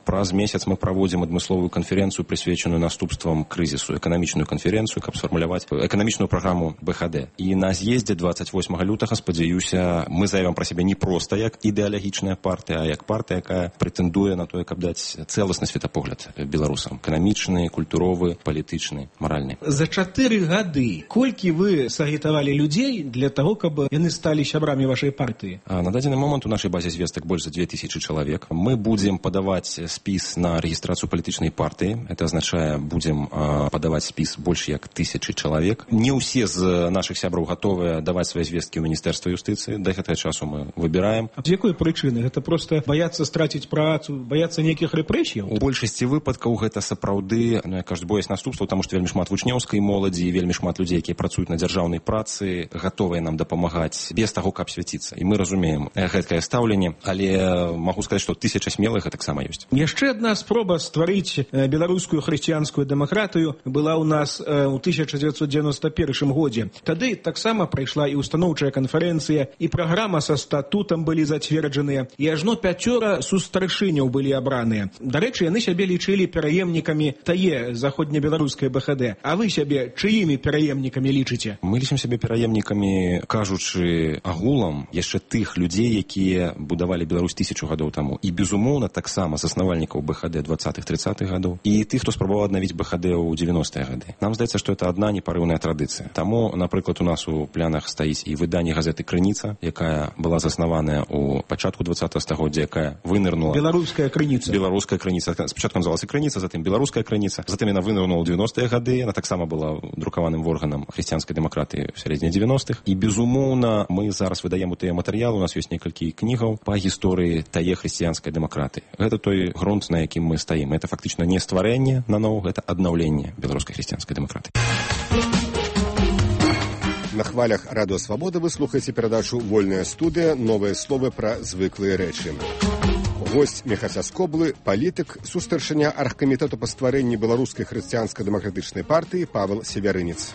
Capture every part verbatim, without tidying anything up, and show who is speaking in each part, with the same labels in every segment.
Speaker 1: Праз месяц мы праводзім адмысловую канферэнцыю, прысвечаную наступствам крызісу, эканамічную канферэнцыю, каб сфармуляваць эканамічную праграму бэ ха дэ. І на з'ездзе двадцать восьмага лютага, спадзяюся, мы заявім пра сябе не проста як ідэалагічная партыя, а як партыя, якая прэтэндуе на тое, каб даць цэласны светапогляд беларусам. Эканамічны, культуровы, палітычны, маральны.
Speaker 2: За чатыры гады колькі вы сагітавалі людзей для таго, каб яны сталі сябрамі вашай партыі?
Speaker 1: На дадзены момант у нашай базе звестак больш за две тысячи чалавек. Мы будзем падаваць спіс на рэгістрацыю палітычнай партыі. Это азначае, будзем падаваць спіс больш як тысячы чалавек. Не ўсе з нашых сябраў гатовыя даваць свае звесткі ў міністэрства юстыцыі. Да гэтага часу мы выбіраем.
Speaker 2: А з якой прычыны? Гэта проста баяцца страціць працу, баяцца нейкіх рэпрэсіяў?
Speaker 1: У большасці выпадкаў гэта сапраўды, ну, я кажу, боясь наступстваў, таму што вельмі шмат вучнёўскай моладзі, вельмі шмат людзей, якія працуюць на дзяржаўнай працы, гатовыя нам дапамагаць без таго, каб свяціцца. І мы разумеем гэткае стаўленне, але магу сказаць, што тысяча смелых таксама ёсць.
Speaker 2: Яшчэ адна спроба стварыць беларускую хрысціянскую дэмакратыю была ў нас у тысяча дзевяцьсот дзевяноста першым годзе. Тады таксама прайшла і устаноўчая канферэнцыя, і праграма са статутам былі зацверджаныя, і ажно пяцёра сустаршыняў былі абраныя. Дарэчы, яны сябе лічылі пераемнікамі тае заходнебеларускай бэ ха дэ. А вы сябе чыімі пераемнікамі лічыце?
Speaker 1: Мы лічым сябе пераемнікамі, кажучы агулам, яшчэ тых людзей, якія будавалі Беларусь тысячу гадоў таму. І, безумоўна, таксама заснавальнікаў бэ ха дэ двадцатых-трыццатых гадоў. І тых, хто спрабаваў аднавіць бэ ха дэ ў дзевяностыя гады. Нам здаецца, што это адна непарыўная традыцыя. Таму, напрыклад, у нас у планах стаіць і выданне газеты «Крыніца», якая была заснаваная ў пачатку двадцатага стагоддзя, якая вынырнула...
Speaker 2: Беларуская крыніца.
Speaker 1: Беларуская крыніца. Спачатку называлася «Крыніца», затым «Беларуская крыніца». Затым яна вынырнула ў дзевяностыя гады. Яна таксама была друкаваным органам хрысціянскай дэмакратыі ў сярэдзіне дзевяностых. І, безумоўна, мы зараз выдаем у тыя матэрыялы. У нас ёсць некалькі кнігаў па гісторыі тае хрысціянскай дэмакратыі. Гэта той грунт, на якім мы стаім. Это фактычна не стварэнне наноў, гэта аднаўленне беларускай хрысціянскай дэмакратыі.
Speaker 3: На хвалях Радыё Свабода вы слухаеце перадачу «Вольная студыя. Новыя словы пра звыклыя рэчы». Госць Міхася Скоблы, палітык, сустаршыня аргкамітэту па стварэнні беларускай хрысціянска-дэмакратычнай партыі Павел Севярынец.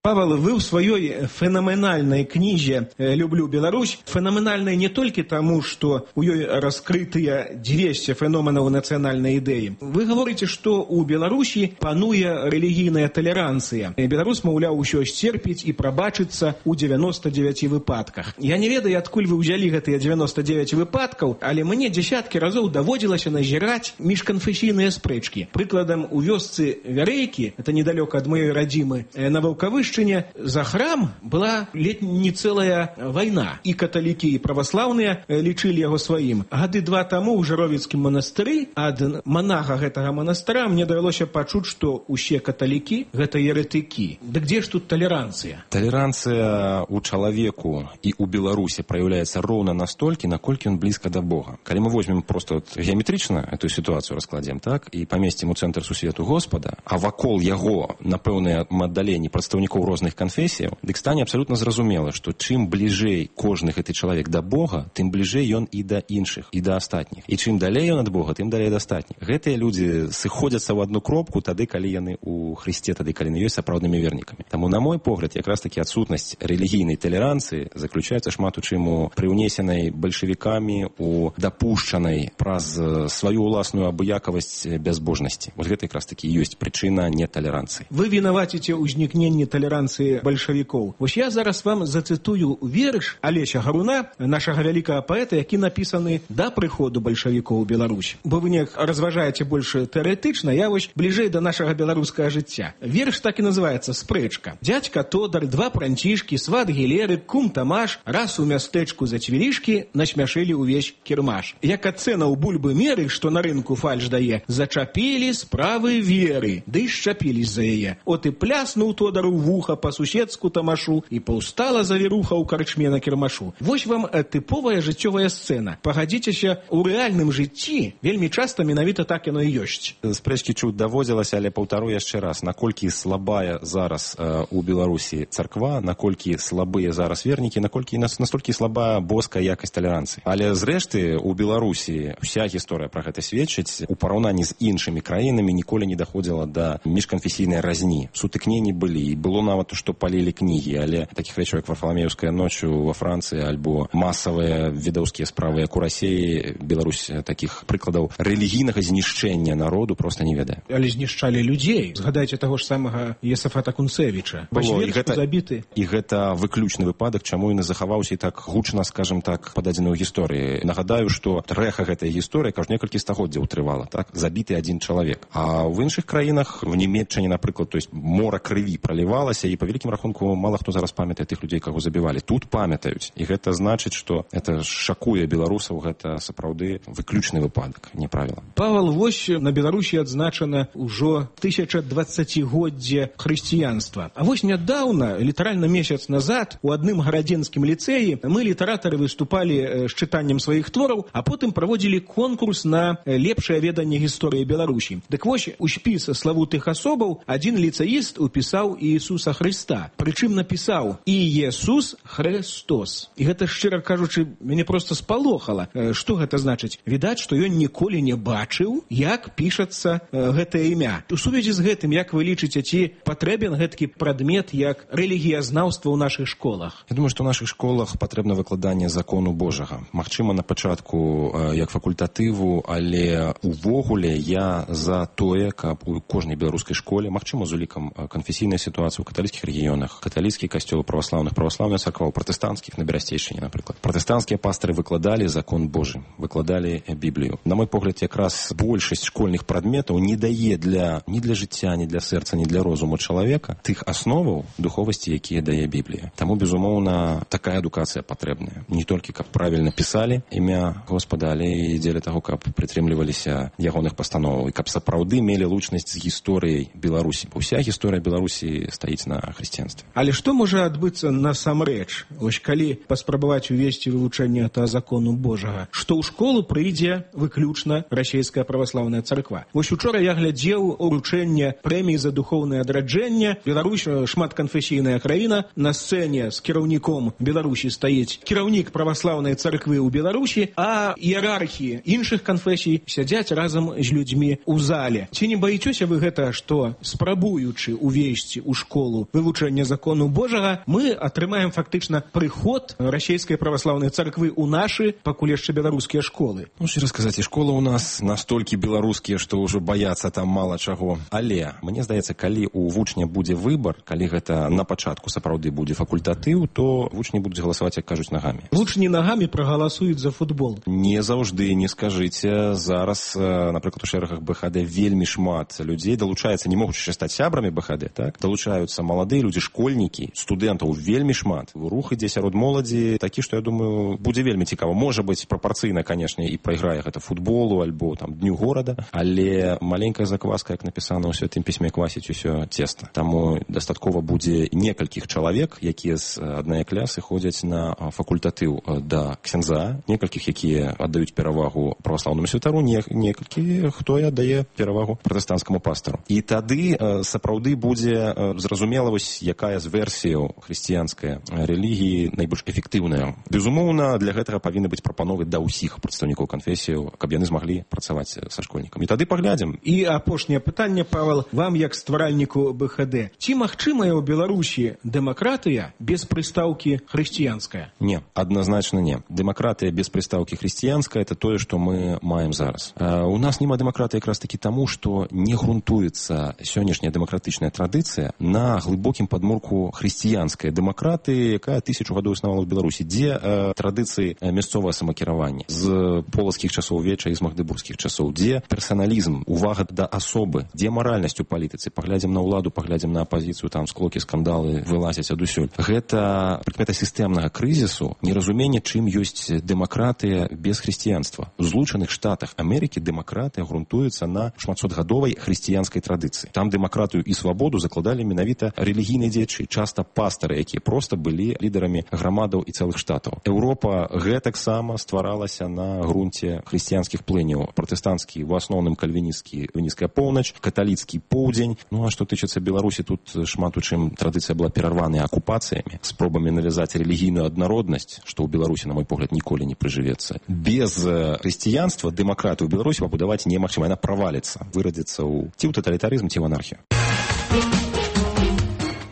Speaker 2: Павел, вы в своей феноменальной книге «Люблю Беларусь», феноменальной не только тому, что у нее раскрытые двести феноменов национальной идеи. Вы говорите, что у Беларуси пануе религийная толеранция. Беларусь, маўляў, усё сцерпіць и пробачиться у девяноста девяти выпадках. Я не ведаю, откуль вы взяли гэтыя девяносто девять выпадков, але мне десятки разов доводилось назирать межконфессийные спрэчки. Прикладом у вёсцы Вярэйкі, это недалеко от моей родимы, на Ваўкавышчыне, за храм была ледь не целая война. И католики, и православные лічылі яго сваім. Гады два таму ў Жыровіцкім манастыры ад монаха гэтага манастыра мне давялося пачуць, што усе каталікі гэта еретыкі. Да где ж тут толеранция?
Speaker 1: Толеранция у чалавеку і у Беларусі проявляется ровно настолькі, наколькі он близко до Бога. Калі мы возьмем просто вот геометрычна эту ситуацию раскладзем, так, і памесцім у цэнтр сусвету Господа, а вакол яго на пэўныя аддаленні прадстаўнікоў розных канфесіяў, дык стане абсалютна зразумела, што чым бліжэй кожны гэты чалавек да Бога, тым бліжэй ён і да іншых, і да астатніх. І чым далей ён ад Бога, тым далей да астатніх. Гэтыя людзі сыходзяцца ў адну кропку тады, калі яны ў Хрысце, тады, калі яны ёсць сапраўднымі вернікамі. Таму, на мой погляд, якраз такі адсутнасць рэлігійнай толеранцыі заключаецца шмат у чым у прыўнесенай бальшавікамі, у дапушчанай праз сваю ўласную абыякавасць бязбожнасці. Вот гэта якраз такі ёсць прычына неталеранцыі.
Speaker 2: Вы вінаваціце ўзнікненне толеранцыі бальшавікоў. Вось я зараз вам зацытую верш Алеся Гаруна, нашага вялікага паэта, які напісаны да прыходу бальшавікоў у Беларусь. Бо вы не разважаеце больш тэарэтычна, я вось бліжэй да нашага беларускага жыцця. Верш так і называецца «Спрэчка». Дядька Тодар, два пранцішкі, сват Гілеры, кум Тамаш, раз у мястэчку за цвілішкі насмяшылі ўвесь кірмаш. Як ацэна ў бульбы меры, што на рынку фальш дае, зачапілі справы веры, ды і шчапілі за яе. От і пляснуў Тодар у завіруха па-суседску тамашу, і паўстала завіруха ў карчме на кірмашу. Вось вам тыповая жыццёвая сцэна. Пагадзіцеся, у рэальным жыцці вельмі часта менавіта так яно і ёсць.
Speaker 1: Спрэчкі чуць даводзілася, але паўтару яшчэ раз, наколькі слабая зараз э, у Беларусі царква, наколькі слабыя зараз вернікі, наколькі настолькі слабая боская якасць талеранцыі. Але зрэшты у Беларусі уся гісторыя пра гэта сведчыць. У параўнанні з іншымі краінамі ніколі не даходзіла да міжканфесійнай разні. Сутыкненні былі, і было нават, што палілі кнігі, але такіх рэчаў, як Варфаламеўская ноч ва Францыі, альбо масавыя відаўскія справы, як у Расіі, Беларусь такіх прыкладаў рэлігійнага знішчэння народу проста не ведае.
Speaker 2: Але знішчалі людзей. Згадайце таго ж самага Есафата Кунцевіча.
Speaker 1: Было, і гэта,
Speaker 2: забіты.
Speaker 1: І гэта выключны выпадак, чаму ён і захаваўся і так гучна, скажем так, пададзены ў гісторыі. Нагадаю, што рэха гэтай гісторыі кажу некалькі стагоддзяў трывала, так? Забіты адзін чалавек. А ў іншых краінах, в Нямецчыне, напрыклад, то есть мора крыві пралівалася, і па вялікім рахунку мала хто зараз памятае тых людзей, каго забівалі. Тут памятаюць. І гэта значыць, што это шакуе беларусаў, гэта сапраўды выключны выпадак, не правіла.
Speaker 2: Павел, вось на Беларусі адзначана ўжо тысяча дваццацігоддзе хрысціянства. А вось нядаўна, літаральна месяц назад, у адным гарадзенскім ліцэі мы, літаратары, выступалі з чытаннем сваіх твораў, а потым праводзілі конкурс на лепшае веданне гісторыі Беларусі. Дык вось у спіс славутых асобаў адзін ліцэіст упісаў Іісуса Хрыста. Прычым напісаў «Іесус Христос». І гэта, шчыра кажучы, мяне проста спалохала. Што гэта значыць? Відаць, што ён ніколі не бачыў, як пішацца гэтае імя. У сувязі з гэтым, як вы лічыце, ці патрэбен гэтакі прадмет, як рэлігіязнаўства ў нашых школах?
Speaker 1: Я думаю, што ў нашых школах патрэбна выкладанне закону Божага. Магчыма, на пачатку як факультатыву, але увогуле я за тое, каб у кожнай беларускай школе, магчыма, з улікам канфесійнай сітуацыі ў каталіцкіх рэгіёнах, каталіцкі касцёл праваслаўных, праваслаўная царква, пратэстанцкіх на Берасцейшчыне, напрыклад. Пратэстанцкія пастыры выкладалі закон Божы, выкладалі Біблію. На мой погляд, якраз большасць школьных прадметаў не дае для, ні для жыцця, ні для сэрца, ні для розуму чалавека тых асноваў духовасці, якія дае Біблія. Таму, безумоўна, такая адукацыя патрэбная. Не толькі, каб правільна пісалі імя Господа, але і дзеля таго, каб прытрымліваліся ягоных пастановаў і каб сапраўды мелі лучнасць з гісторыяй Беларусі. Уся гісторыя Беларусі стаіць на хрысціянстве.
Speaker 2: Але што можа адбыцца насамрэч? Вось калі паспрабаваць увесці вывучэнне та закону Божага, што ў школу прыйдзе выключна расійская праваслаўная царква. Вось учора я глядзеў уручэнне прэміі за духоўнае адраджэнне. Беларусь шматканфесійная краіна. На сцэне з кіраўніком Беларусі стаіць кіраўнік праваслаўнай царквы ў Беларусі, а іерархі іншых канфесій сядзяць разам з людзьмі ў зале. Ці не баіцеся вы гэта, што спрабуючы увесці ў школу вывучэнне закону Божага, мы атрымаем фактычна прыход расійскай праваслаўнай царквы ў нашы, пакуль яшчэ беларускія школы?
Speaker 1: Ну, шчыра сказаць, і школы ў нас настолькі беларускія, што ўжо баяцца там мала чаго. Але, мне здаецца, калі у вучня будзе выбар, калі гэта на пачатку сапраўды будзе факультатыў, то вучні будуць галасаваць, як кажуць, нагамі.
Speaker 2: Вучні нагамі прагаласуюць за футбол.
Speaker 1: Не заўжды, не скажыце. Зараз, напрыклад, у шэрагах БХД вельмі шмат людзей далучаецца, не могуць яшчэ стаць сябрамі БХД, так? Далучаюцца маладыя людзі, школьнікі, студэнтаў вельмі шмат. Рух ідзе сярод моладзі такі, што, я думаю, будзе вельмі цікава. Можа быць, прапарцыйна, канешне, і прайграе гэта футболу альбо там дню горада, але маленькая закваска, як напісана ў святым пісьме, квасіць усё цеста. Таму дастаткова будзе некалькіх чалавек, якія з аднае клясы ходзяць на факультатыў да ксяндза, некалькіх, якія аддаюць перавагу праваслаўнаму святару, не, некалькі, хто аддае перавагу пратэстанцкаму пастару. І тады сапраўды будзе зразумела, вось якая з версіяў хрысціянскай рэлігіі найбольш эфектыўная. Безумоўна, для гэтага павінны быць прапановы да ўсіх прадстаўнікоў канфесіяў, каб яны змаглі працаваць са школьнікамі. І тады паглядзім.
Speaker 2: І апошняе пытанне, Павел, вам як стваральніку БХД. Ці магчымая ў Беларусі дэмакратыя без прыстаўкі хрысціянская?
Speaker 1: Не, адназначна не. Дэмакратыя без прыстаўкі хрысціянская — это тое, што мы маем зараз. А у нас няма дэмакратыі якраз такі таму, што не грунтуецца сённяшняя дэмакратычная традыцыя на глыбокім падмурку хрысціянскай дэмакратыі, якая тысячу гадоў існавала ў Беларусі, дзе э, традыцыі мясцовага самакіравання з полацкіх часоў веча і з магдыбургскіх часоў, дзе персаналізм, увага да асобы, дзе маральнасць у палітыцы. Паглядзім на ўладу, паглядзім на апазіцыю, там склокі, скандалы вылазяць адусюль. Гэта прыкмета сістэмнага крызісу, неразуменне, чым ёсць дэмакратыя без хрысціянства. У Злучаных Штатах Амерыкі дэмакратыя грунтуецца на шматсотгадовай хрысціянскай традыцыі. Там дэмакратыю і свабоду закладалі менавіта часта рэлігійныя дзеячы, часта пастары, якія проста былі лідарамі грамадаў і цэлых штатаў. Еўропа гэтаксама стваралася на грунце хрысціянскіх плыняў. Пратэстанцкі, у асноўным кальвінісцкі, кальвінісцкая поўнач, каталіцкі поўдзень. Ну а што тычыцца Беларусі, тут шмат у чым традыцыя была перарваная акупацыямі, спробамі навязаць рэлігійную аднароднасць, што ў Беларусі, на мой погляд, ніколі не прыжывецца. Без хрысціянства дэмакратыю ў Беларусі пабудаваць немагчыма, яна праваліцца, вырадзіцца ў ці ў таталітарызм, ці ў анархію.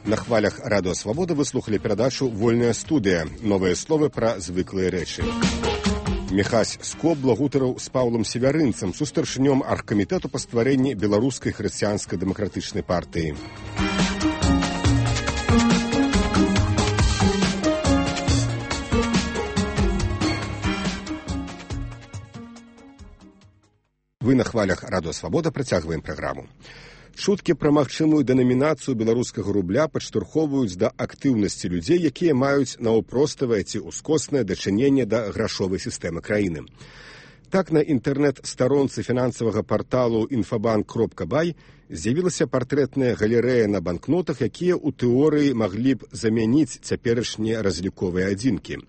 Speaker 3: На хвалях Радыё Свабода вы слухали перадачу «Вольная студыя». Новыя словы пра звыклыя рэчы. Міхась Скобла гутарыў з Паўлам Севярынцам, сустаршынём аргкамітэту па стварэнні беларускай хрысціянскай дэмакратычнай партыі. Вы на хвалях Радыё Свабода працягваем праграму. Чуткі пра магчымую дэнамінацыю беларускага рубля падштурхоўваюць да актыўнасці людзей, якія маюць наўпроставае ці ўскоснае дачыненне да грашовай сістэмы краіны. Так, на інтэрнэт-старонцы фінансавага парталу інфабанк кропка бай з'явілася партрэтная галерэя на банкнотах, якія ў тэорыі маглі б замяніць цяперашнія разліковыя адзінкі.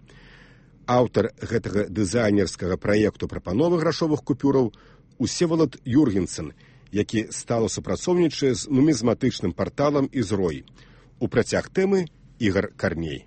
Speaker 3: Аўтар гэтага дызайнерскага праекту прапановы грашовых купюраў Усевалад Юргенсен, які стала супрацоўнічае з нумізматычным парталам «Ізрой». У працяг тэмы Ігар Карней.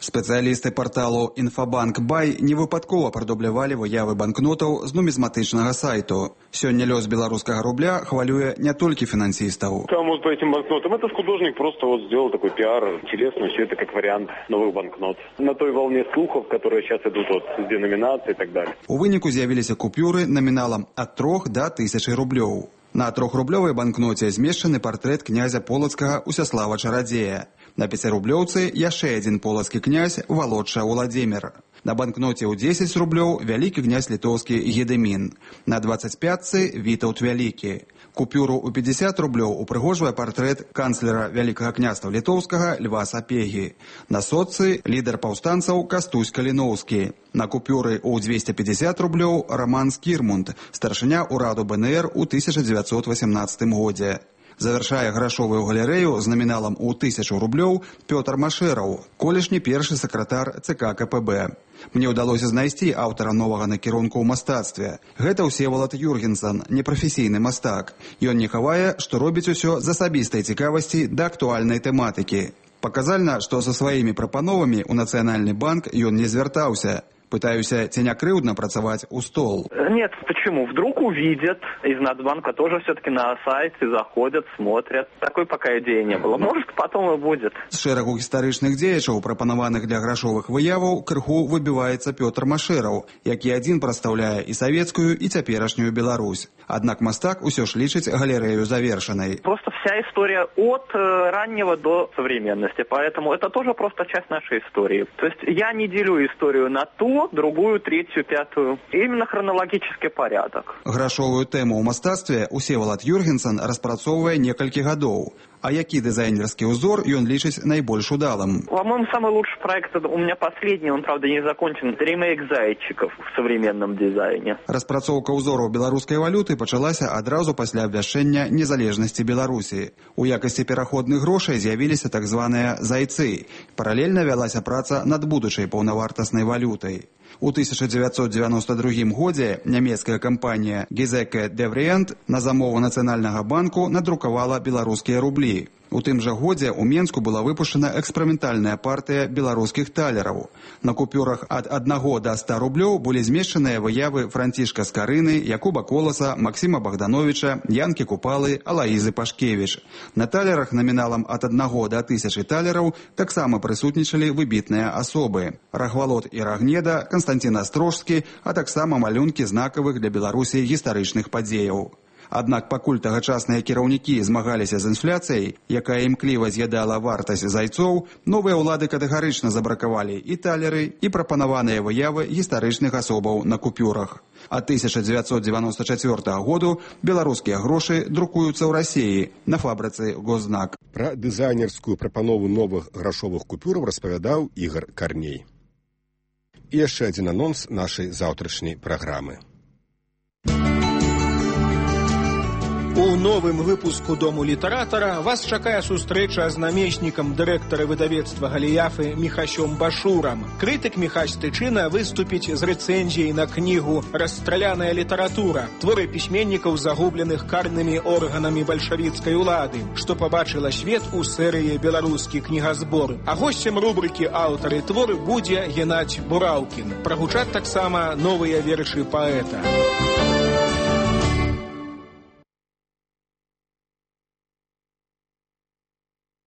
Speaker 4: Спецыялісты парталу «Інфабанк Бай» невыпадкова прадублявалі выявы банкнотаў з нумізматычнага сайту. Сёння лёс беларускага рубля хвалюе не толькі фінансістаў.
Speaker 5: Там вот по этим банкнотам этот художник просто вот сделал такой пиар. Интересно, все это как вариант новых банкнот. На той волне слухов, которые сейчас идут вот с деноминацией и так далее.
Speaker 4: У выніку з'явіліся купюры наміналам ад трох да тысячы рублёў. На трохрублёвай банкноце змешчаны партрэт князя полацкага Усяслава Чарадзея. На пяцірублёўцы яшчэ адзін полацкі князь Валодша Уладзімір. На банкноце ў дзесяць рублёў вялікі князь літоўскі Гедэмін. На дваццаць пятцы Вітаўт Вялікі. Купюру ў пятьдесят рублёў упрыгожвае партрэт канцлера Вялікага княства літоўскага Льва Сапегі. На сотцы лідар паўстанцаў Кастусь Каліноўскі. На купюры ў двести пятьдесят рублёў Роман Скірмунд, старшыня ўраду БНР у тысяча дзевяцьсот васямнаццатым годзе. Завяршае грашовую галерэю з наміналам у тысячу рублёў Пётр Машэраў, колішні першы сакратар ЦК КПБ. Мне ўдалося знайсці аўтара новага накірунку ў мастацтве. Гэта Усевалад Юргенсен, непрафесійны мастак. Ён не хавае, што робіць усё з асабістай цікавасці да актуальнай тэматыкі. Паказальна, што са сваімі прапановамі ў Нацыянальны банк ён не звяртаўся. Пытаюся, ці не крыўдна працаваць у стол.
Speaker 6: Нет, почему? Вдруг увидят, из Нацбанка тоже все-таки на сайте заходят, смотрят. Такой пока идеи не было. Может, потом и будет.
Speaker 4: З шэрагу гістарычных дзеячаў, прапанаваных для грашовых выяваў, крыху выбіваецца Пётр Машэраў, які адзін прадстаўляе і савецкую, і цяперашнюю Беларусь. Аднак мастак усё ж лічыць галерэю завершанай.
Speaker 6: Просто вся история от э, раннего до современности, поэтому это тоже просто часть нашей истории. То есть я не делю историю на ту, другую, третью, пятую. Именно хронологический порядок.
Speaker 4: Грашовую тэму ў мастацтве Усевалад Юргенсен распрацоўвае некалькі гадоў. А які дызайнерскі ўзор ён лічыць найбольш удалым?
Speaker 6: По-моему, самый лучший проект у меня последний, он, правда, не закончен. Ремейк зайчиков в современном дизайне.
Speaker 4: Распрацоўка ўзораў беларускай валюты пачалася адразу пасля абвяшчэння незалежнасці Беларусі. У якасці пераходных грошай з'явіліся так званыя зайцы. Паралельна вялася праца над будучай паўнавартаснай валютай. У тысяча дзевяцьсот дзевяноста другім годзе нямецкая кампанія Гізеке Девріент на замову Нацыянальнага банку надрукавала беларускія рублі. У тым жа годзе ў Менску была выпушчана эксперыментальная партыя беларускіх талераў. На купюрах ад аднаго да ста рублёў былі змешчаныя выявы Францішка Скарыны, Якуба Коласа, Максіма Богдановича, Янкі Купалы, Алаізы Пашкевіч. На талерах наміналам ад аднаго да тысячы талераў таксама прысутнічалі выбітныя асобы. Рахвалод і Рагнеда, Канстантин Астрожскі, а таксама малюнкі знакавых для Беларусі гістарычных падзеяў. Аднак пакуль тагачасныя кіраўнікі змагаліся з інфляцыяй, якая імкліва з'ядала вартасць зайцоў, новыя ўлады катэгарычна забракавалі і талеры, і прапанаваныя выявы гістарычных асобаў на купюрах. А тысяча дзевяцьсот дзевяноста чацвёртага году беларускія грошы друкуюцца ў Расіі на фабрыцы Гознак.
Speaker 3: Пра дызайнерскую прапанову новых грашовых купюраў распавядаў Ігар Карней. І яшчэ адзін анонс нашай заўтрашняй праграмы.
Speaker 2: У новым выпуску «Дому літаратара» вас чакае сустрэча з намеснікам дырэктара выдавецтва «Галіяфы» Міхасём Башурам. Крытык Міхась Тычына выступіць з рэцэнзіяй на кнігу «Расстраляная літаратура», творы пісьменнікаў, загубленых карнымі органамі бальшавіцкай улады, што пабачыла свет у серыі «Беларускі кнігазбор». А госцем рубрыкі «Аўтары творы» будзе Геннадзь Бураўкін. Прагучаць таксама новыя вершы паэта.